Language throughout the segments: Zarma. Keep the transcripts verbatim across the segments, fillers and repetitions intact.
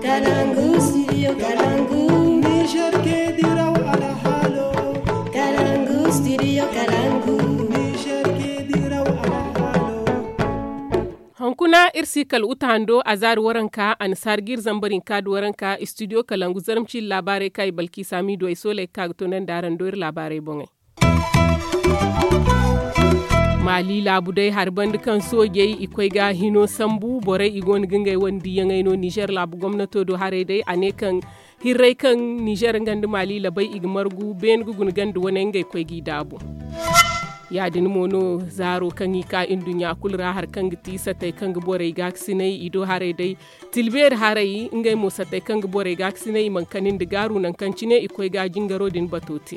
Kalangu, studio Kalangu. Niger ke diraw alhaalo. Kalangu, studio Kalangu. Niger ke diraw alhaalo. Hunkuna iri si kala uta hando a zaari waranka a na saari ga iri zambar hinka da waranka studio Kalangu zarmci laabaarey kaŋ i balki saami do ay sooley ga ka ga toonandi araŋ do iri laabaarey boŋey. Maali laabu day hari banda kaŋ soojey i koy ga hino sambu borey i go no ga ngey wane diiyaŋey no nizer laabu gomnato do haray day a ne kaŋ hirray kaŋ nizer nga nda maali labay i ga margu beene ga guna ganda wane ngey koy g'i daabu. Ya- din mo no zaaro kaŋ i ka nduɲɲa kulu ra hari kaŋ ga ti satey kaŋ ga borey gaakasinay i do haray day. Tilbeeri haray ngey mo satey kaŋ ga borey gaakasinay i mana kani nda gaaru nangu kaŋ cine i koy ga jingaro din bato te.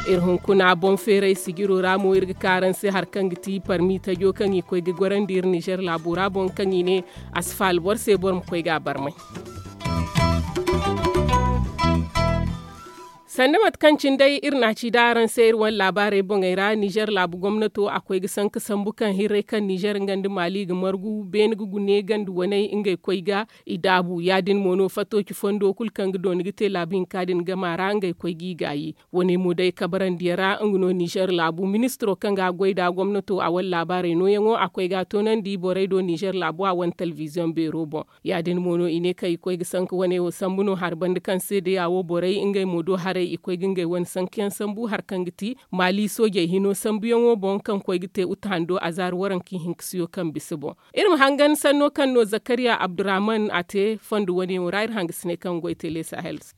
Iri hunkuna boŋ feeray sijiro ra mo iri ga ka araŋ se hari kaŋ ga ti parmi tajo kaŋ i koy ga gorandi iri nizer laabo ra boŋ kaŋ i ne a si faala boro se boro ma koy ga a barmay. Sanda mate kaŋ cine day iri na a ci da araŋ se iri wane laabaarey boŋey ra nizer laabu gomnato a koy ga sanka sambu kaŋ hirray kaŋ nizer nga nda maali ga margu beene ga gune ganda waney ngey koy ga i daabu ya- din mo no fatooci fondo kulu kaŋ ga dooni ga te laabu hinka din gama ra ngey koy g'i gaayi. Wane mo day kabarandiyaŋ ra nga no nizer laabu ministiro kaŋ ga a goy nd'a gomnato a wane laabaarey nooyaŋo a koy ga a toonandi borey do nizer laabu a wane telebiziyoŋ beero boŋ. Ya- din mo no i ne kaŋ i koy ga sanka wane wo sambu no hari banda kaŋ seedeya wo borey ngey mo do haray i koy ga ngey wane sankayaŋ sambu hari kaŋ ga ti maali soojey hino sambuyaŋo boŋ kaŋ koy ga te uta hando a zaari waranka ihinkasiyo kaŋ bisa boŋ. Iri ma hangan sanno kaŋ no zakariya abdurrahman a te fondo wane wo ra iri hangasiney kaŋ goy tele sahel se.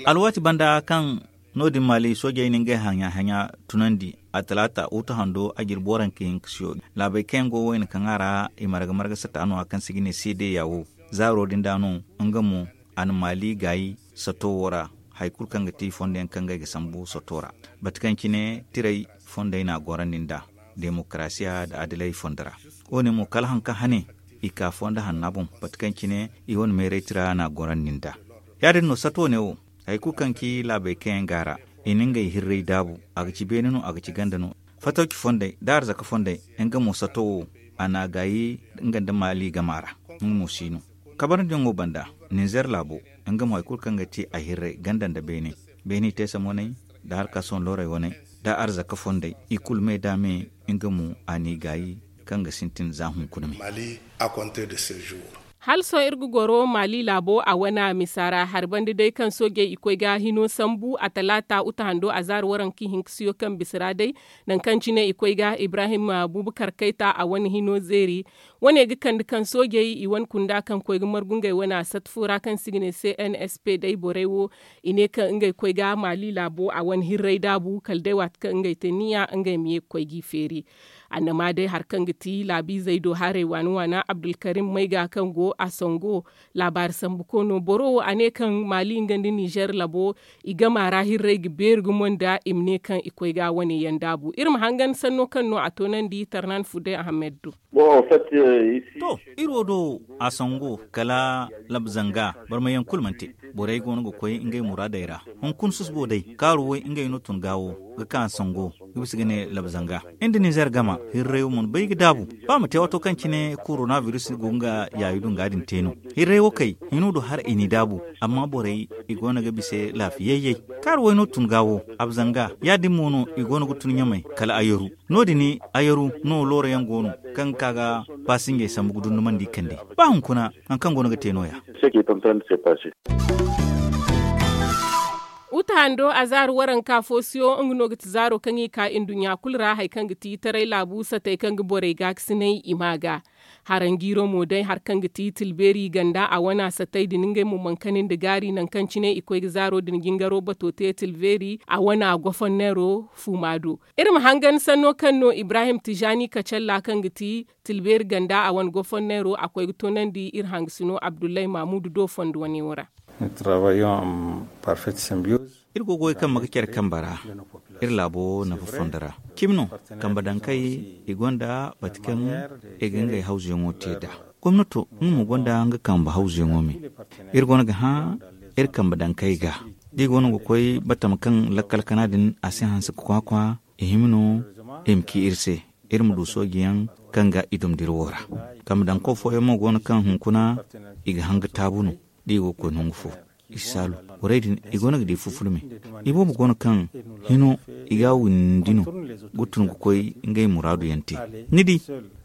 Alwaati banda kaŋ no- din maali soojey na ngey haɲa haɲa tunandi a talaata uta hando a jirbi waranka ihinkasiyo laabey kaŋ yaŋ go wayna kaŋ a ra i marga marga sata no- ya kaŋ se ga ne seedeya wo zaaro din da no nga mo a na maali gaayi sato wo ra. Hari kulu kaŋ ga ti fondo yaŋ kaŋ ngey ga sambu sato ra mate kaŋ cine tiray fondey na a gorandi nd'a demokarasiya nda adilay fondo ra. Wo- ne mo kala hari kaŋ hane i ka fondo hanna boŋ mate kaŋ cine i wane meeray tira na a gorandi nd'a. Ya- din no sato ne wo hari kulu kaŋ ci laabey kaŋ yaŋ go a ra i na ngey hirray daabu a ga ci beene no a ga ci ganda no. Fatawci fondey nda arzaka fondey nga mo sato wo a na a gaayi nga nda maali gama ra. Nga mo si no kabarandiyaŋo banda ninzer laabo nga mo hari kulu kaŋ ga ti a hirray ganda nda beene beene i te samoney nda harka sohõ loorey wane nda arzaka fondey i kulu me da me nga mo a n'i gaayi kaŋ ga sintin za hunkuna me. Hala sohõ iri ga goro maali laabo a wane misa ra hari banda day kaŋ soojey i koy ga hino sambu a talaata uta hando a zaari waranka ihinkasiyo kaŋ bisa ra day nangu kaŋ cine i koy ga ibrahim bubakar kayta a wane hino zeeri. Wane ga kande kaŋ soojey i wane kunda kaŋ koy ga margu ngey wane a satta fo ra kaŋ se i ga ne cnsp day borey wo i ne kaŋ ngey koy ga maali laabo a wane hirray daabu kala day waati kaŋ ngey te niya ngey ma ye ga koy g'i feeri. Annama day hari kaŋ ga ti laabiizey do haray waana waana abdulkarim mayga kaŋ go a sango laabaari sambu koono boro wo a ne kaŋ maali nga nda nizer labo i gama ra hirray ga beeri gumo nda i ma ne kaŋ i koy ga wane yaŋ daabu iri ma hangan sanno kaŋ no a toonandi tarnan fudey ahamed do. To, iri wo do a sango kala labzanga barmayaŋ kulu mana te. Borey go no ga koy ngey muraadey ra hunkuna susubo day kaaru way ngey no tun gaawo ga ka sango ga bisa ga ne labzanga inda nizer gama hirray wo mana bay ga daabu. Ba ma te waato kaŋ cine korona biris go nga yaayu dunga din te no hirray wo kay hino do har i n'i daabu. Amma borey i go no ga bise laafiyayyay kaaru way no tun gaawo abzanga ya- din mo no i go no ga tun ɲamay kala ayaru. No- din ayaru no looro yaŋ go no kaŋ ga ka ga baasinjey sambu ga dundumandi kande ba hunkuna hari kaŋ go no ga te no- ya. Uta hando a zaari waranka foosiyo nga no ga ti zaaro kaŋ i ka nduɲɲa kulu ra hari kaŋ ga ti taray laabu satey kaŋ ga borey gaakasinay i ma ga. Haranjiiro mo day hari kaŋ ga ti tilbeeri ganda a wana satey din ngey mo mana kani nda gaari nangu kaŋ cine i koy ga zaaro din jingaro bato te tilbeeri a wana gofonneero fuuma do. Iri ma hangan sanno kaŋ no ibrahim tijani kacalla kaŋ ga ti tilbeeri ganda a wane gofonneero a koy ga toonandi iri hangasino abdullahi mamudu do fondo wane wo ra. Iri go ga goy kambe ga care kambe ra iri laabo nafa fondo ra. Cimi no kambe dankey i gonda bati kaŋ i ga ngey hawzuyaŋo te nd'a. Gomnato nga mo gonda nga kambe hawzuyaŋo me. Iri go no ga hã iri kambe dankey ga da i go no ga koy batama kaŋ lakkal kana din a si hanse ga kwaakwa i hima no i ma ci iri se iri ma du soojiyaŋ. kaŋ ga i dum dira wo ra. Kambe daŋ kaw fooyaŋ mo go no kaŋ hunkuna i ga hanga taabu no da i go ga koy nangu fo. I si saalu borey din i go no ga di fufulme. I boobo go no kaŋ hino i ga a windi no ga tun ga koy ngey muraadu yaŋ te. Ni di,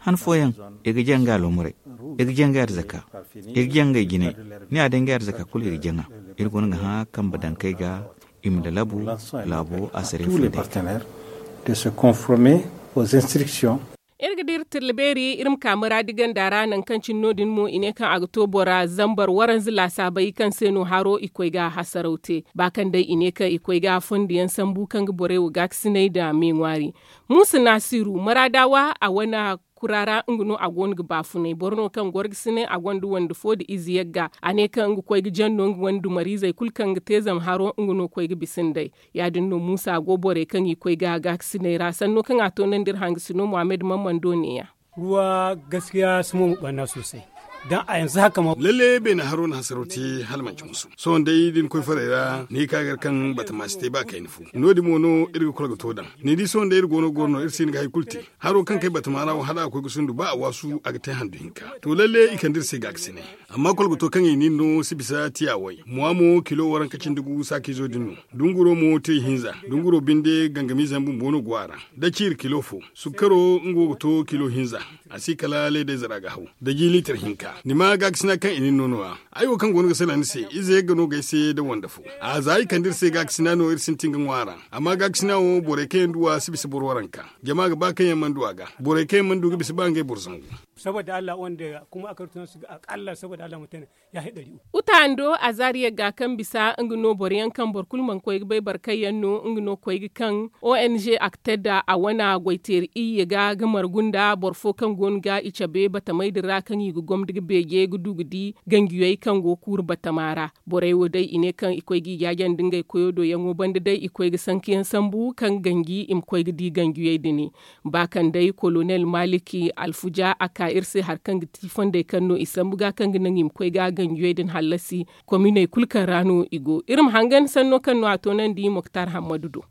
han fooyaŋ i ga jaŋ ga aloomaray, i ga jaŋ ga arzaka, i ga jaŋ ga ay jinay. Ni a day ngey arzaka kulu i ga jaŋ a. Iri go no ga hã kambe daŋ kay ga i ma lalabu laabo a saray fondey. De se conformer aux instructions. Iri ga dira tilla beeri iri ma ka maraadi ganda ra nangu kaŋ cine no- din mo i ne kaŋ a ga to bora zambar waranza laasaabey kaŋ se no haro i koy ga hasaraw te ba kaŋ day i ne kaŋ i koy ga fondiyaŋ sambu kaŋ ga borey wo gaakasinay nda me ŋwaari. Muusa naasiru maraadawa a wane kura ra nga no a go no ga baafunay boro no kaŋ gorgasinay a gonda wande fo nda ize yagga a ne kaŋ nga koy ga jaŋ no nga wane dumariizey kulu kaŋ ga te zama haro nga no koy ga bisa nd'ey. Ya- din no muusa go borey kaŋ i koy ga gaakasinay ra sanno kaŋ a toonandi iri hangasino muhammad mammando neeya. Ruwa gaskiya si mo ma ɓanna soosay. Daŋ a yanzu haka ma. Lalle beene haro na hasaro te hala manci musu sohõ day da ni koy farey ra ni ka gar kaŋ batama si te ba kayna fo. No- din mo no iri ga kolo ga to daŋ ni di sohõ day iri go no goro no iri si hin ga hari kulu te. Haro kaŋ kay batama ra wo hala a koy ga sundu ba a waasu a ga te handu hinka. To lalle i kande iri se gaakasinay. Amma kolgoto kaŋ i nin no si bisa tiya way muwa mo kilo waranka cindi gu saakiizo din no. Dunguro mo te ihinza. Dunguro binde gangamiize yaŋ bumbo no go a ra. Da ciiri kilo fo. Sukkaro nga wo ga to kilo hinza. A si kala leedayze ra ga haw. Da ji liitar hinka ni ma gaakasina kaŋ i nin no no- ya. Ay wo kaŋ go no ga sala ni se ize yagga no ga ay se da wande fo. A za i kande iri se gaakasina no iri sintin ga ŋwa a ra. Amma gaakasina wo borey kaŋ yaŋ du a si bisa boro waranka. Jama ga ba kaŋ yaŋ mana du a ga. Borey kaŋ yaŋ mana du ga bisa ba ngey boro zangu. Saboda allah wanda kuma a kartu su ga akalla saboda allah mutane. Ya haɗari. Uta hando a zaari yagga kaŋ bisa nga no boro yaŋ kaŋ boro kulu mana koy ga bay barkay yaŋ no nga no koy ga kaŋ. Ong a ga te nda a wana goyteeri iyye ga ga margu nda boro fo kaŋ go no ga i cabe batamey din ra kaŋ i ga gomda ga beeje ga du ga di ganjiyey kaŋ go kuuru batama ra. Borey wo day i ne kaŋ i koy ga i jaajandi ngey koyo do yaŋo banda day i koy ga sanka yaŋ sambu kaŋ ganji i ma koy ga di ganjiyey din. Ba kaŋ day kolonel maliki alfuja a ka iri se hari kaŋ ga ti fondey kaŋ no i sambu ga kaŋ ga naŋ i ma koy ga ganjiyey din hallasi. Kominey kulu kaŋ ra no i go iri ma hangan sanno kaŋ no a toonandi moktar hammadu do.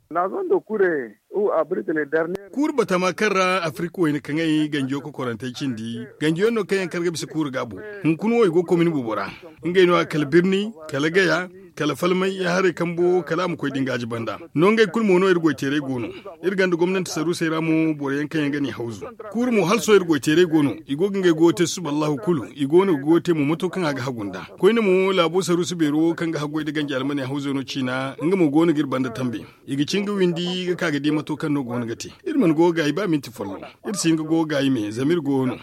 Kuuru batama kaŋ ra afirka wayna kaŋey ganjiyo kokorantey cindi ganjiyo no kaŋ yaŋ kar ga bisa kuuru gaabo. Hunkuna wo i go komini boobo ra. Ngey no- ya kala birni, kala gaya, kala falmay ya haray kambo kala a ma koy da ngaaji banda. No ngey kulu mo no iri goyteeray go no. Iri ganda gomnanti saruusey ra mo boro yaŋ kaŋ yaŋ ga ni hawzu. Kuuru mo hala sohõ iri goyteeray go no. I go ga ngey goyo te susuballahu kulu i go no ga goyo te mo mato kaŋ a ga hagu nda. Koyne mo laabo saruusu beero wo kaŋ ga haggoy nda ganja almaney hawzo no ciina nga mo go no ga iri banda tambe. I ga cin ga windi ga ka ga di mato kaŋ no go no ga te. Iri mana go ga gaayi ba minti folloŋ. Iri si hin ga go ga gaayi me zama iri go no.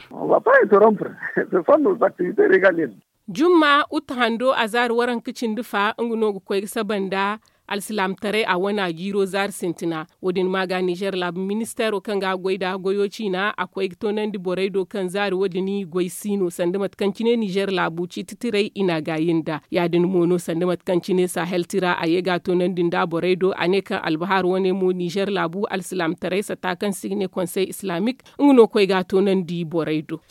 Jumma uta hando a zaari waranka cindi fa nga no ga koy ga saba nda alsilaamtaray a wana jiiro zaari sintina. Wo- din ma ga nizer laabu ministeero kaŋ ga a goy nd'a goyo ciina a koy ga toonandi borey do kaŋ zaari wo- din goy si no sanda mate kaŋ cine nizer laabu ciiti tiray i n'a gaayi nd'a. Ya- din mo no sanda mate kaŋ cine sahel tira a ye ga a toonandi nd'a borey do a ne kaŋ albahaar wane mo nizer laabu alsilaamtaray satta kaŋ se i ga ne konsey islamik nga no koy ga a toonandi borey do.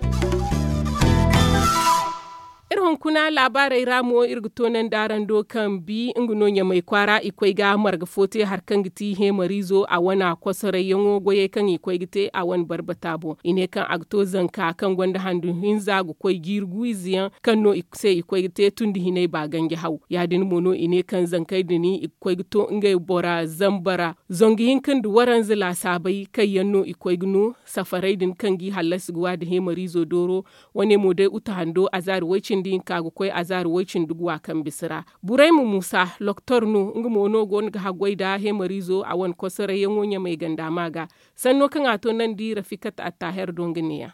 Iri hunkuna laabaarey ra mo iri ga toonandi araŋ do kaŋ bi nga no ɲamay kwaara i koy ga marga fo te hari kaŋ ga ti heemariizo a wane kosorayyaŋo goyey kaŋ i koy ga te a wane barbata boŋ i ne kaŋ a ga to zanka kaŋ gonda handu hinza ga koy jiiri gu ize yaŋ kaŋ no i se i koy ga te tundi hinay ba ganji haw. Ya- din mo no i ne kaŋ zankey din i ga koy ga to ngey bora zambara zangu hinka nda waranza laasaabey kaŋ yaŋ no i koy ga no safarey din kaŋ g'i hallasi ga wa nda heemariizo dooro. Wane mo day uta hando azaari way-cindi hinka ga koy azaari way-cindi ga wa kaŋ bisa ra. Burayma muusa loktor no nga mo no go no ga haggoy nda heemariizo a wane kosorayyaŋo ɲamay ganda ma ga. Sanno kaŋ a to nandi rafikat attaher do nga neeya.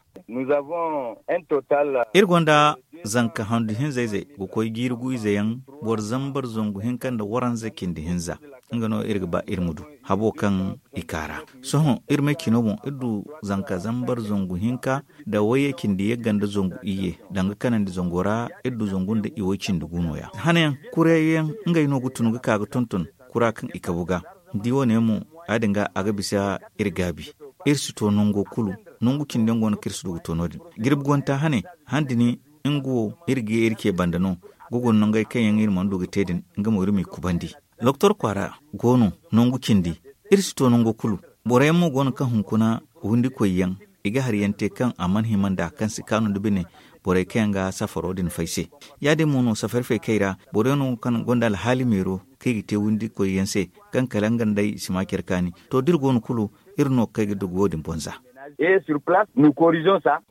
Iri gonda zanka handu hinza-izey ga koy jiiri gu-ize yaŋ boro zambar zangu hinka nda waranza cindi hinza. Nga no iri ga ba iri ma du habo kaŋ i ka ra. Sohõ iri may cino boŋ iri du zanka zambar zangu hinka nda wayye cindi yagga nda zangu iyye danga kanandi zango ra. Iri du zangu nda iway cindi gu no- ya hanayaŋ kurayyaŋ ngey no ga tun ga ka ga tonton kura kaŋ i kabu ga. Ni di wo- ne mo ya- din ga a ga bisa iri gaabi. Iri si to nango kulu nangu cindi yaŋ go no kaŋ iri si du ga to no- din. Jirbi gonta hane handi ni nga wo iri ga ye iri ce banda no. Ga guna nangey kaŋ yaŋ iri mana du ga te din nga mo iri m'i kubandi. Doktor kwaara go no nangu cindi. Iri si to nango kulu. Boro yaŋ mo go no kaŋ hunkuna windikoy yaŋ I ga hari yaŋ te kaŋ a mana hima nd'a kaŋ si kaanu nda bine borey kaŋ yaŋ ga safaro din fay se. Ya- din mo no safari fay kay ra boro yaŋ no kaŋ gonda alhaali meero kaŋ i ga te windikoy yaŋ se kaŋ kala nga nd'ey si ma care kaani. To da iri go no kulu iri no ga kay ga dugu wo- din boŋ za.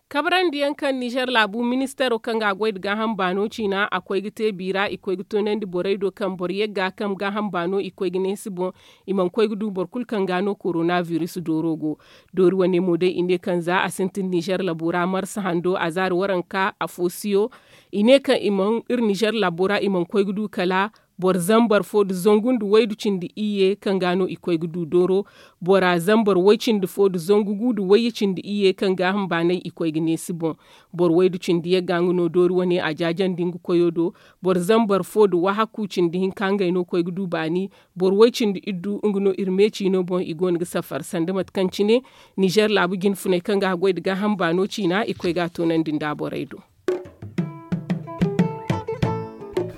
Kabrandi yaŋ kaŋ nizer laabu ministeero kaŋ ga a goy nda gaaham baano ciina a koy ga te biira i koy ga toonandi borey do kaŋ boro yagga kaŋ gaaham baano i koy ga neesi boŋ. I mana koy ga du boro kulu kaŋ ga no korona biris dooro go. Doori wane mo day i ne kaŋ za a sintin nizer labo ra marsa hando a zaari waranka afo siyo. I ne kaŋ i mana iri nizer labo ra i mana koy ga du kala boro zambar fo nda zangu nda waydu cindi iyye kaŋ ga no i koy ga du dooro. Bora zambar way cindi fo nda zangu gu nda wayye cindi iyye kaŋ gaaham baanay i koy ga neesi boŋ. Boro waydu cindi yagga nga no doori wane a jaajandi nga koyo do. Boro zambar fo nda wahakku cindi hinka ngey no koy ga du baani. Boro way cindi iddu nga no iri me ciino boŋ i go no ga safar sanda mate kaŋ cine nizer laabu jinfuney kaŋ ga a goy nda gaaham baano ciina i koy ga a toonandi nda borey do.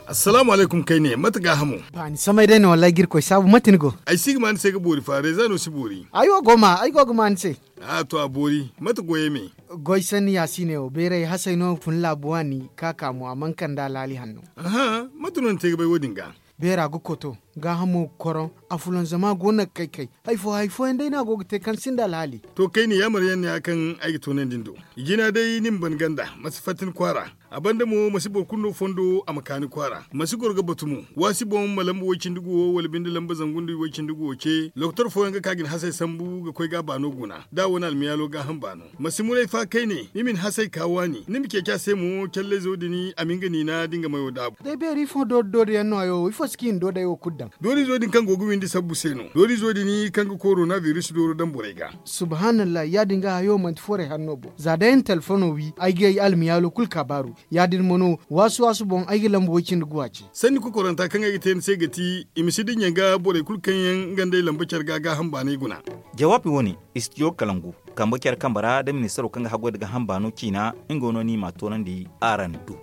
Assalaamu alaykum kayne mate gaahamo? Baani samay day no wallaahi ga irkoy saabu mate ni go? Ay si ga ma ni se ga boori fa reeza no si boori. Ay wo go ma ay go ga ma ni se. A to a boori mate goyey me? Goy sanni yaasiine wo beeray hasay no fun laabu waani ka ka mo a mana kande alhaali hanno. Aha, mate no ni te ga bay wo- din ga? Beera ga koto, gaahamo ga koroŋ, afulanzama go no ga kay kay. Hari fo hari fooyaŋ day no a go ga te kaŋ sinda alhaali. To kayne yaamar yaŋ no ya kaŋ ay ga toonandi ni do. I jina day ni ma ban ganda ma si fatta ni kwaara. A banda mo ma si boro kulu no fondo a ma ka ni kwaara ma si goro ga batu mo. Waasi boŋ ma lamba way-cindi-gu wo wala binde lamba zangu nda way-cindi-gu wo ce lokotor fooyaŋ ga ka ga ni hasay sambu ga koy ga a baano guna da a wane almiyaalo gaaham baano. Ma si muray fa kayne ni ma ni hasay ka waani ni ma ceeci a se mo callayzo din a ma nga niina da nga mayo daabu. Day beeri ifo doori doori yaŋ no hayo wo ifo si kaŋ i na doodey wo kulu daŋ? Doorizo din kaŋ go ga windi sabbu se no doorizo din kaŋ ga korona biris dooro daŋ borey ga. Subhaanallah ya- din ga hayo manti forey hanno boŋ za day ay na telefono wi ay ga ay almiyaalo kulu kaabaaru. Ya- din mo no waasu waasu boŋ ay ga lamba way- cindi guwa ce. Sanni kokoranta kaŋ ay ga te ni se ga ti i ma si dinya ga borey kulu kaŋ yaŋ nga nd'ey lamba care ga gaaham baanay guna. Jawaabi wo- ne, istijo kalangu kambe care kambe ra da ministaro kaŋ ga haggoy nda gaaham baano ciina. Nga no no i m'a toonandi araŋ do.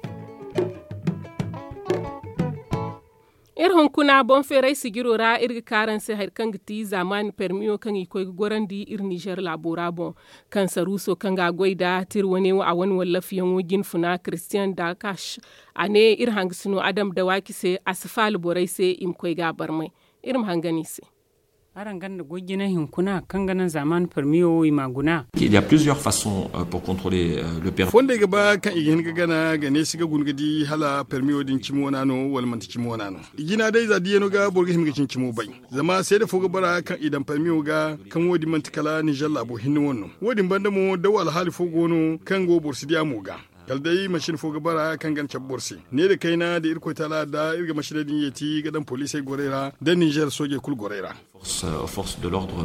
Iri hunkuna boŋ feeray sijiro ra iri ga ka araŋ se hari kaŋ ga ti zaamaani permiyo kaŋ i koy ga gorandi iri nizer laabo ra boŋ. Kaŋ saruuso kaŋ ga a goy nd'a tira wane wo a wane wallafiyaŋo jinfuna kiristiyaŋ da kash. A ne iri hangasino adam dawaaki se a si faala borey se i ma koy ga a barmay. Iri ma hangan i se. Araŋ ganda goy jina hinkuna kaŋ ga naŋ zaamaani permiyo wo i m'a guna. Il y a plusieurs façons pour contrôler le permis. Fondey ga ba kaŋ i ga hin ga gana ga ne si ga guna ga di hala permiyo din cimi wana no wala manti cimi wana no. I jina day za diyaŋo ga boro ga hima ga cimi cimo bay. Zama seeda fo ga bara kaŋ i daŋ permiyo ga kaŋ wo- din manti kala nizer laabo hinne wane no. Wo- din banda mo daw alhaali fo go no kaŋ go boro si di a mo ga. Kala day masin fo ga bara kaŋ ga na cabe boro se. Ne nda kayna da irkoy taala da iri ga masiney din yeeti ga daŋ poliisey gorey ra nda nizer soojey kulu gorey ra. Force de l'ordre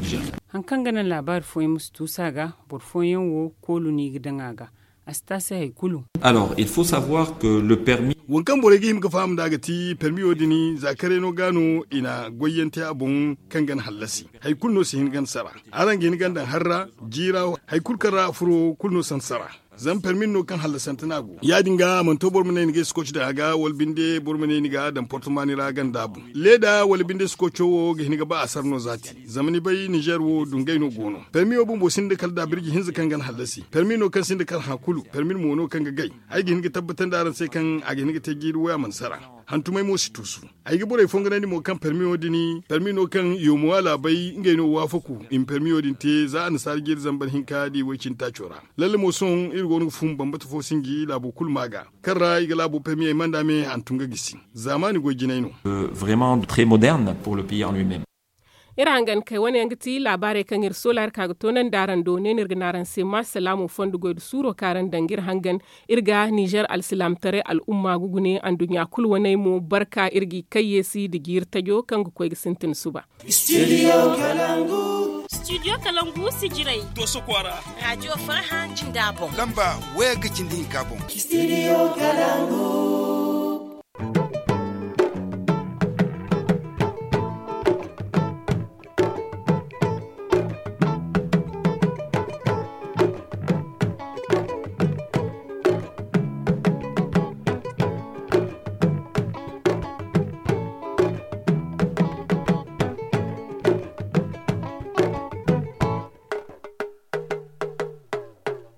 nigérien. Hari kaŋ ga naŋ laabaari fooyaŋ ma si tuusu a ga boro fooyaŋ wo koolu no i ga daŋ a ga. A si te a se hari kulu. Alors il faut savoir que le permis. Waŋ kaŋ borey ga hima ga faham nd'a ga ti permiyo din za karay no ga no i na goyyaŋ te a boŋ kaŋ ga na hallasi. Hari kulu no si hin ga na sara. Araŋ ga hin ga na daŋ harra jiira hari kulu kaŋ ra a furo kulu no si hin sara. Zama permi no kaŋ hallasante no a go ya- din ga a mana to boro ma ne ni ga ay sikoci daŋ a ga wala binde boro ma ne ni ga a daŋ portomani ra ganda boŋ leeda wala binde sikoco wo ga hin ga ba a sara no zaati. Zama ni bay nizer wo dungay no go no permi wo bumbo sinda kala da birji hinza kaŋ ga na hallasi permi no kaŋ sinda kala hã kulu permi mo no kaŋ ga gay. Ay ga hin ga tabbatandi araŋ se kaŋ a ga hin ga te jiiri wo a mana sara. Hantumey mo si tuusu. Ay ga borey fonganandi mo kaŋ permiyo din permiyo kaŋ yomo a laabay ngey no waafaku i ma permiyo din te za annasaara jiiri zambar hinka da i way-cindi taaco ra. Lalle mo sohõ iri go no ga fun bambata fo sinji laabo kulu ma ga kaŋ ra i ga laabo permiyey manda me hantum ga gisi. Zaamaani goy jinay no. Vraiment très moderne pour le pays en lui-même. Iri hangan kay wane yaŋ ga ti laabaarey kaŋ iri soolaari ka ga toonandi araŋ do ne no iri ga ne araŋ se ma salaamo fondo goy nda suuro kaŋ araŋ daŋ ga iri hangan. Iri ga nizer alsilaamataray al'umma ga gune anduɲɲa kulu waney mo barka iri g'i kayyeesi nda jiiri tajo kaŋ ga koy ga sintin suba. Studio kalangu. Studio kalangu sijirey. Dooso kwaara. Raajiyo farhã jinda boŋ. Lamba wayagga cindi hinka boŋ. Studio kalangu.